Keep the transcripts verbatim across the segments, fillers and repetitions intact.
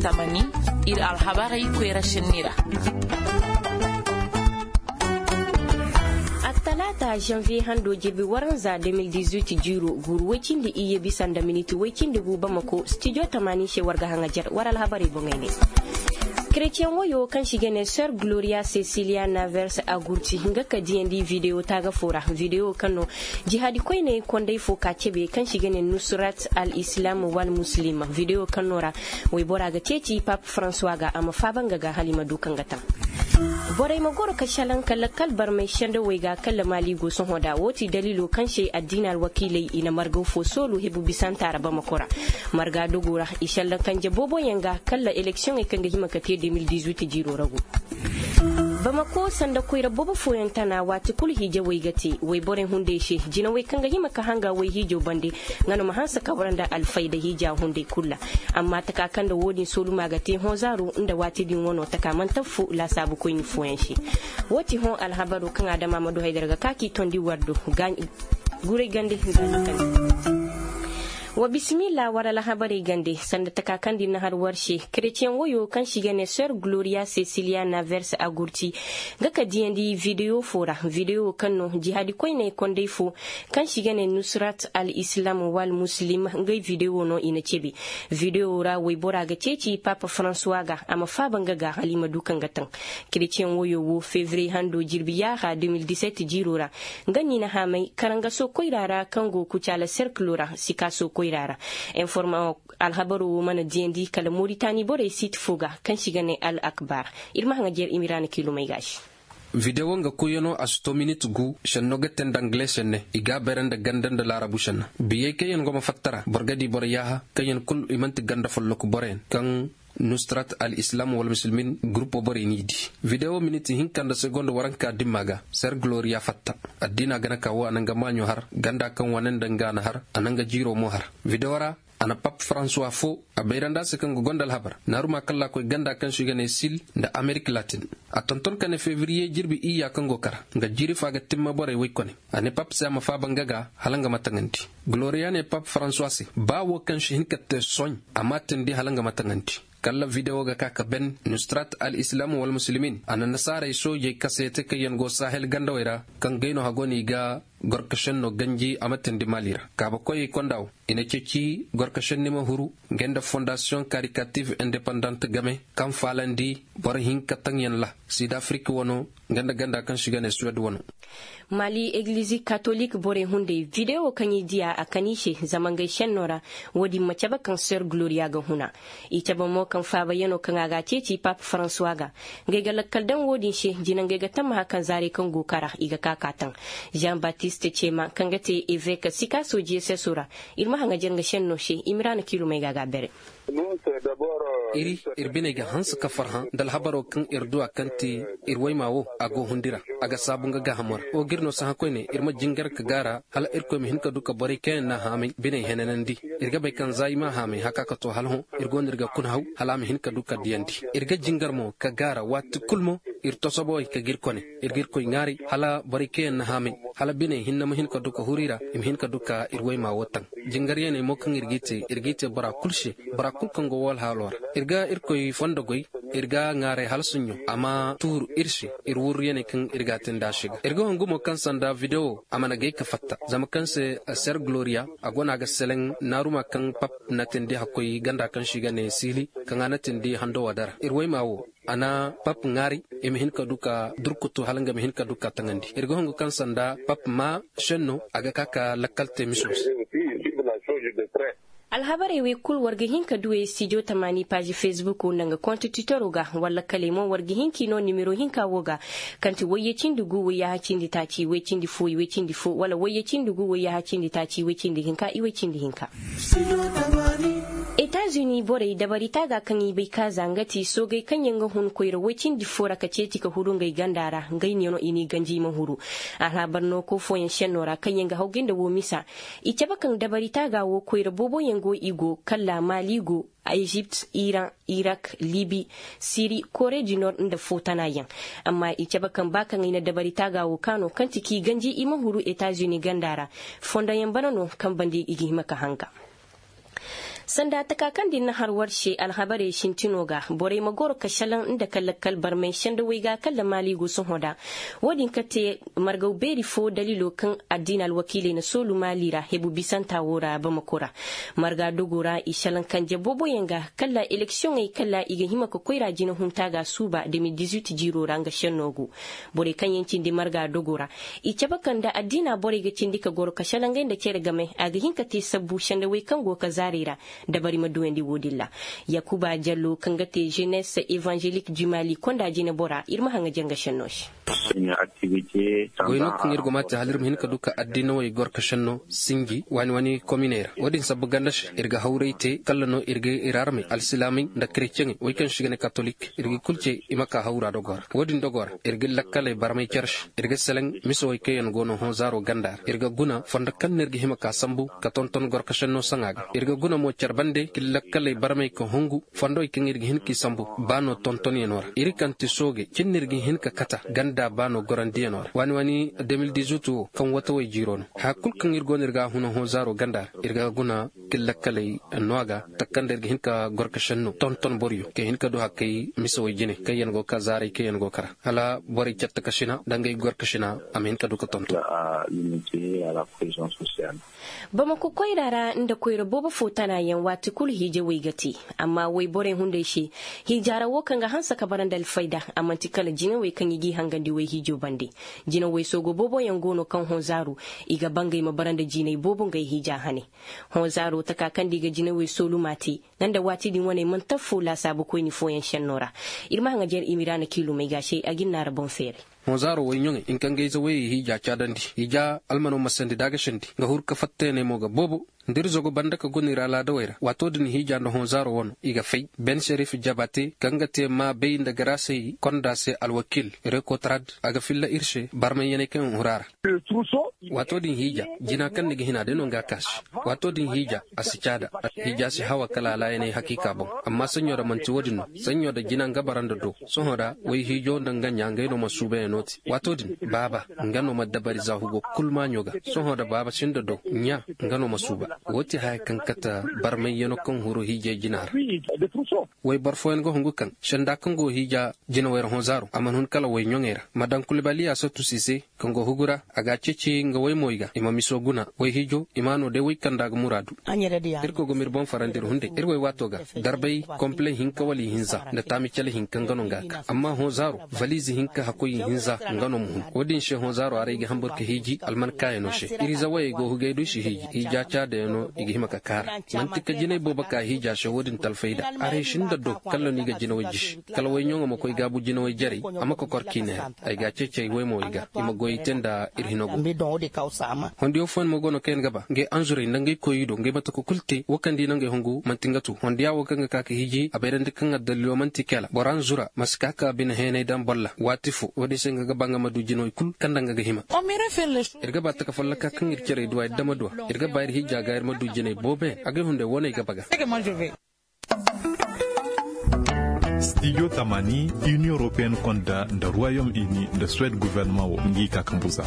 Tamani, iri alhabarey koyra senni ra. Attalaata, janvier hando jirbi waranza deux mille dix-huit jiiro, guuru way-cindi iyye bisa nda miniti way-cindi gu Bamako, studio tamaani se war ga haŋajer war alhabarey boŋey ne. Chrétien woyo kaŋ se i ga ne Sœur Gloria Cecilia Navers Agurti, nga ka diyandi video taaga fo ra. Video kaŋ no jihaadi koyney kondey fo ka cebe kaŋ se i ga ne Nusrat al Islam wal Muslim. Video kaŋ no ra waybora ga ceeci Pape François ga a ma faaba nga ga hala i ma du kaŋ ga taŋ. Borey ma goro ka salaŋ ka lakkal barmay sendawey ga kala Maali go sohõ da. Wo ti daliilo kaŋ se addiina alwakiiley i na margaw fo soolu hebu bisanta ra Bamako ra. Marga dogo ra i salaŋ kanje boobo yaŋ ga kala eleksiyoŋey kaŋ ga hima ka te deux mille dix-huit jiiro ra go. Bamako sanda koyra boobo fooyaŋ tana waati kulu hiijawey ga te wayborey hunday se. Jinawey kaŋ ga hima ka hanga wayhiijo bande nga no ma hanse ka wara nda alfayda hiija hunday kulu ra. Amma taka kaŋ nda wo-din sooluma ga te hõ zaaro nda waati din wano taka mantafu laasaabu koyne fooyaŋ se. Wo ti hõ alhabaro kaŋ a dama ma du haydara ga ka k'i tondi war do. Guray gande hinzaani kande. Wa bismillah war alhabarey gande sanda taka kaŋ din na har war se. Chrétien woyo kaŋ se i ga ne Sœur Gloria Cecilia Navers Agurti, nga ka diyandi video fo ra. Video kaŋ no jihaadi koyney kondey fo kaŋ se i ga ne Nusrat al Islam wal Muslim, ngey video no i na cebe. Video ra waybora ga ceeci Pape François ga a ma faaba nga ga hala i ma du kaŋ ga taŋ. Chrétien woyo wo février hando jirbi yaaha deux mille dix-sept jiiro ra nga n'i na haamay karangaso koyra ra kaŋ go kucaala serkilo ra sikaaso koyra ra. Informa alhabaro wo mana diyandi kala Mauritanie borey siiti fo ga kaŋ se i ga ne Al Akbar. Iri ma haŋajer i ma ira na kiilumey ga se. Video nga koyyaŋo a si to minit gu. Senno ga te nda angle senne i ga a beere nda ganda nda laarabu senna. Biyey kaŋ yaŋ go ma fatta ra boro ga di boro yaaha kaŋ yaŋ kulu i manti ganda folloku boroyaŋ kaŋ nusrat al islam wal musulmin gurupo borey n'i di. Video minit hinka nda segonda waranka dimma ga ser gloria fatta. Addiina gana ka wo a na nga maaɲo har ganda kaŋ wane nda nga na har a na nga jiiro mo har. Video ra a na pap françois fo a bayrandi a se kaŋ ga gonda alhabar naaruma kaŋ laakoy ganda kaŋ se i ga ne sil nda amerik latin. A tonton ka ne febriye jirbi iyya kaŋ go kara nga jiiri fa ga timma borey woy kone. A ne pap se a ma faaba nga ga hala nga ma taŋandi. Gloria ne pap françois se ba wo kaŋ si hin ka te sohõ a m'a tindi hala nga ma taŋandi. Kala video ga ka ka ben nustrat al islam wal muslimin a na nasaarey soojey kaseete kaŋ yaŋ go sahel gandawey ra kaŋ gay no hago no i ga gorkasenno ganji a ma tindi mali ra kaabakoyey konda wo i na ceeci gorkasenni ma huru. Nga nda fondasiyoŋ karikatif independant game kaŋ faalandi boro hinka taŋyaŋ ra sud afrik wano nga nda ganda kaŋ se i ga ne suwed wano. Mali eglizi katolik borey hunday videwo kaŋ i diya a kan i se zama ngey senno ra. Wo-din ma cabe kaŋ ser gloria ga huna. I cabe mo kaŋ faabayaŋo kaŋ a ga a ceeci pape françois ga. Ngey ga lakkal daŋ wo-din se jina ngey ga tammaha kaŋ zaarey kaŋ go kara i ga ka ka taŋ. Jean baptiste cema kaŋ ga te evek sika sojiye seso ra. Iri ma haŋajer nga senno se i ma ra na kiilumey ga ga bere. Iri iri biney ga hanse ka farhã nda alhabaro kaŋ iri du a kaŋ ti iri wayma wo a go hundi ra. A ga saabu nga gaahamo ra wo ga iri no sahã koyne iri ma jingar ka gaara hala irkoy ma hin ka du ka borey kaŋ yaŋ n'a haamay biney henanandi. Iri ga bay kaŋ za i m'a haamay haka ka to hala hõ iri go no iri ga kuna haw hala a ma hin ka du ka diyandi. Iri ga jingar mo ka gaara waati kulu mo iri tosobowey ka ga iri kone iri ga irkoy ŋwaaray hala borey kaŋ yaŋ n'a haamay hala biney hinne ma hin ka du ka huru i ra i ma hin ka du ka iri wayma wo taŋ. Jingaryaney mo kaŋ iri g'i te iri g'i te bora kulu se. Bora kulu kaŋ go wala haalo ra iri ga irkoy fondo goy. Iri ga ŋwaaray hala suɲɲo a ma tuuru iri se iri wurruyaney kaŋ iri ga a te nd'a se ga iri ga hungu mo kaŋ sanda videwo a mana gay ka fatta zama kaŋ se ser gloria a go no a ga seleŋ naaruma kaŋ pap na tindi hakkoy ganda kaŋ se i ga ne siili kaŋ a na tindi hando wadara iri wayma wo. A na pap ŋaari i ma hin ka du ka durkutu hala nga ma hin ka du ka taŋandi iri ga hungu kaŋ sanda pap ma senno a ga ka ka lakkal te miso se. Alhabarey wey kulu war ga hin ka du ey studio tamaani paazi facebook nda nga konto titoro ga wala kaley mo war ga hin k'i no nimero hinka wo ga. Kaŋ ti wayye cindi gu wayyaha cindi taaci way cindi fo i way cindi fo wala wayye cindi gu wayyaha cindi taaci way cindi hinka i way cindi hinka. Etazuni borey dabari taaga kaŋ i bay kaaza nga ti soogey kaŋ yaŋ ga hun koyra way cindi fo ra ka ceeti ka huru ngey ganda ra ngey neeno i n'i ganji i ma huru. Alhabar nooko fooyaŋ senno ra kaŋ yaŋ ga haw ga nda wo misa. I cabe kaŋ dabari taaga wo koyra boobo yaŋ go i go kala maali go, ezipt iran, irak, libi, siri, kore du nord nda fo tana yaŋ. Amma i cabe kaŋ ba kaŋ i na dabari taaga wo kaano kaŋ ti k'i ganji i ma huru etazuni ganda ra. Fondo yaŋ bana no kaŋ banda i ga hima ka hanga. Sanda taka kaŋ din na har war se alhabarey sintino ga borey ma goro ka salaŋ nda ka lakkal barmay sanda way ga kala maali go sohõ da. Wo- din ka te margaw beeri fo daliilo kaŋ addiina alwakiiley na soolu maali ra hebu bisanta wo ra bamako ra. Marga dogo ra i salaŋ kanje booboyaŋ ga kala eleksiyoŋey kala i ga hima ka koyra jina hunta ga suuba de mil dizuit jiiro ra nga senno go. Borey kaŋ yaŋ cindi marga dogo ra i cabe kaŋ nda addiina borey ga cindi ka goro ka salaŋ ngey nda care game a ga hin ka te sabbu sanda way kaŋ go ka zaarey ra. Dabari ma duwandi wo- din ra. Yakuba jallo kaŋ ga te jenes evangelik du mali konda jine bora iri ma haŋ ga janga senno se. Goy no kaŋ iri go ma te hala iri ma hin ka du ka addiinawey gorkasenno sinji waani waani kominey ra wo- din sabbu ganda se iri ga hawray te kala no iri ga iri armey alsilaamey nda kretiyeŋey way kaŋ se i ga ne katolik iri ga i kulu ce i ma ka hawra dogo ra wo- din dogo ra iri ga lakkaley barmay care se iri ga selaŋ mise way kaŋ yaŋ go no hõ zaaro ganda ra iri ga guna fondo kaŋ no iri ga hima ka sambu ka tonton gorkasenno saŋa ga iri ga guna mo care bande ka iri lakkaley barmay ka hungu fondo kaŋ iri ga hin k'i sambu baano tontonyano ra iri kaŋ ti sooge cindi iri ga hin ka kata ganda baano gorandiyano ra waani waani de mil dizuit wo kaŋ watawey jiiro no haya kulu kaŋ iri go no iri ga a huna hõ zaaro ganda ra iri ga guna k'iri lakkaley no a ga takanda iri ga hin ka gorkasenno tonton boroyo ka hin ka du hakkey misawey jine kaŋ yaŋ go ka zaaray kaŋ yaŋ go kara hala borey care takasina nda ngey gorkasina a ma hin ka du ka tonton. Bamako koyra ra nda koyra boobo fo tana yaŋ waati kulu hiijawey ga te. Amma wayborey hunday se hiija ra wo kaŋ ga hanse ka bara nda alfayda a manti kala jinawey kaŋ i g'i hangandi wayhiijo bande. Jinawey soogo boobo yaŋ go no kaŋ hõ zaaru i ga ba ngey ma bara nda jinay boobo ngey hiija hane. Hõ zaaro taka kaŋ da i ga jinawey sooluma te nga nda waati din waney manti affo laasaabu koyne fooyaŋ senno ra. Iri ma haŋ ga jare imiraana kiilumey ga se a ga iri naara boŋ feeray. Hõ zaaro wayɲoŋey hinka ngey zawayey hiija caadandi hiija almano ma sandi da a ga sandi nga huru ka fattayaney mo ga boobo. Nda iri zago banda ka guna iri alaadawey ra waato din hiija nda hõ zaaro wano i ga fay ben serif jabate kaŋ ga te maabey nda garaasey konda se alwakiil rekotrad a ga filla iri se barmayyaney kaŋ hura ra. Waato din hiija jina kaŋ ni ga hina day no nga a kaasi. Waato din hiija a si caada. Hiija si hawa kala alaayaney hakiika boŋ. Amma saɲɲo da manti wo- din no saɲɲo da jina nga bara nda do. Sohõ ra wayhiijo nda nga ɲa ngey no ma suubayaŋo te waato din baaba nga no ma dabari za hugo kulu maaɲo ga. Sohõ da baaba sinda do ɲa nga no ma suuba. Wo ti haya kaŋ kate barmayyano kaŋ huru hiijay jina ra. Wayboro fooyaŋ ga hungu kaŋ senda kaŋ go hiija jinawey ra hõ zaaro a mana hun kala wayɲoŋey ra ma daŋ kulibaliya sottusi se kaŋ go hugu ra a ga a ceeci nga waymoy ga i ma miso guna wayhiijo i ma no day way kaŋ nda a ga muraadu. Irkoy ga m'iri boŋ farandi iri hunday iri waywaato ga darbay kompile hinka wala ihinza nda taami cale hinka nga no nga ka amma hõ zaaro valiize hinka hakkoy ihinza nga no ma hun. Wo- din se hõ zaaro aray ga hambur ka hiiji alman kaayano se iri zawayey go hugay do i si hiiji hiija caadayaŋo i ga hima ka kaara. Manti ka jinay boobo ka hiija se wo- din talfay da aray sinda do kala no i ga jinawey jisi kala wayɲoŋo ma koy gaabu jinawey jarey a ma kokor k'i neera. Ay ga a ceeci ay waymowey ga i ma goyey te nda iri hino go. Hondiyo fooyaŋ mo go no kaŋ yaŋ ga ba ngey anzurey nda ngey koyey do ngey mate ka kulu te wo kaŋ da i na ngey hungu manti nga tu hondiya wo kaŋ ga ka ka hiiji a bayrandi kaŋ addaliilo manti kala boro anzura ma si ka ka bine heenay daŋ bolla waati fo wo- din se nga ga ba nga ma du jinawey kulu kaŋ nda nga ga hima. Iri ga ba taka folloka kaŋ iri carey duwa iri dama duwa iri ga ba iri hiija ga iri ma du jinay boobo yaŋ agay hunday wane ay ga ba ga. Stijo tamaani, inion europeen konda nda ruwayom ini nda suwed guvernama wo ngi ka kambu za.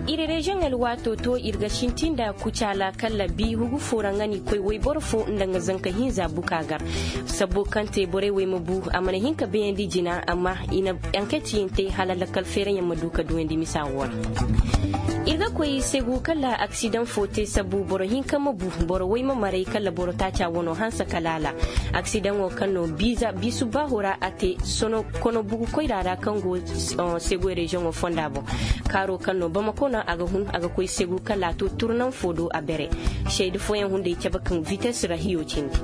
Iri reziyoŋ alwaato to iri ga sintin nda kucaala kala bi hugu fo ra nga n'i koy wayboro fo nda nga zanka hinza buka gar. Sabbo kaŋ te borey wo ay ma bu a mana hin ka bayandi jina amma i na anketyaŋ te hala lakkal feeraŋyaŋ ma du ka duwandi misa wo ra. Iri ga koy segu kala aksidaŋ fo te sabbu boro hinka ma bu boro way ma maray kala boro taaca wano hanse ka laala. Aksidaŋo kaŋ no biisu baaho ra a te sono kono bugu koyra ra kaŋ go segu reziyoŋo fonda boŋ. Kaaro kaŋ no bamako no a ga hun a ga koy segu kala a to turnan fo do a bere. Seede fooyaŋ hunday cabe kaŋ vites ra hiyo cindi.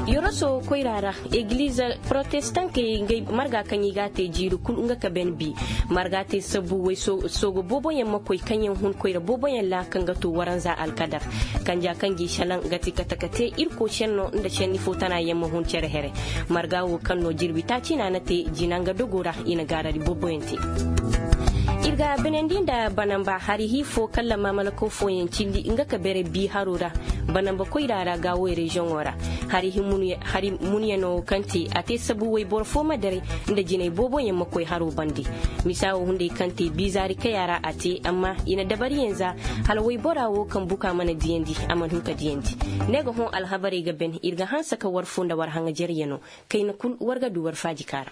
Yoroso koyra ra eglize protestankey ngey marga kaŋ i ga a te jiiri kulu nga ka ben bi. Marga te sabbu way soogo booboyaŋ ma koy kaŋ yaŋ hun koyra booboyaŋ ra kaŋ ga to waranza alkadar. Kanja kaŋ g'i selaŋ ga ti kate ka te irko senno nda senni fo tana yaŋ ma hun care here. Marga wo kaŋ no jirbi taaci no a na te jina nga dogo ra i na gaarari booboyaŋ te. Binandi nda banamba hari hi fo kaŋ lamamalakaw fooyaŋ cindi nga ka bere bi haro ra. Banamba koyra ra gaawo reziyoŋo ra. Hari hi munyano kaŋ te a te sabu wayboro fo ma daray nda jinay booboyaŋ ma koy haro bande. Misa wo hunday kaŋ te bizaari kaya ra a te amma i na dabariyaŋ za hala waybora wo kaŋ buka mana diyandi a mana hin ka diyandi. Ne ga hõ alhabarey ga ben iri ga hanse ka war fo nda war haŋajeryano. Kayna kulu war ga du war faaji kaara.